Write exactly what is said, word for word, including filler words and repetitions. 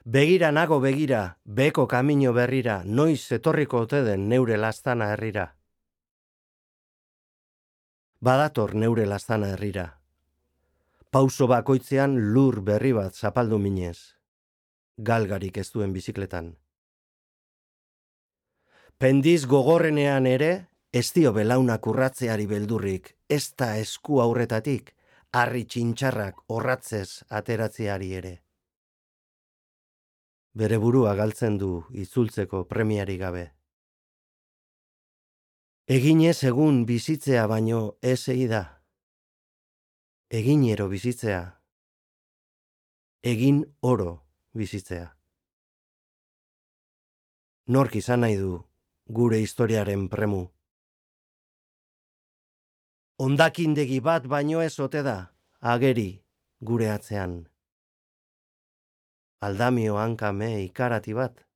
Begira nago begira, beko kamino berrira, noiz etorriko ote den neure lastana herrira. Badator neure lastana herrira. Pauso bakoitzean lur berri bat zapaldu minez. Galgarik ez duen bizikletan. Pendiz gogorrenean ere, ez dio belaunak urratzeari beldurrik, ez da esku aurretatik, harri txintxarrak orratzez ateratzeari ere. Bere burua galtzen du itzultzeko premiari gabe. Eginez egun bizitzea baino ez egi da. Eginero bizitzea. Egin oro bizitzea. Nork izan nahi du gure historiaren premu. Hondakindegi bat baino ez ote da, ageri gure atzean. Aldamio hankame ikarati bat.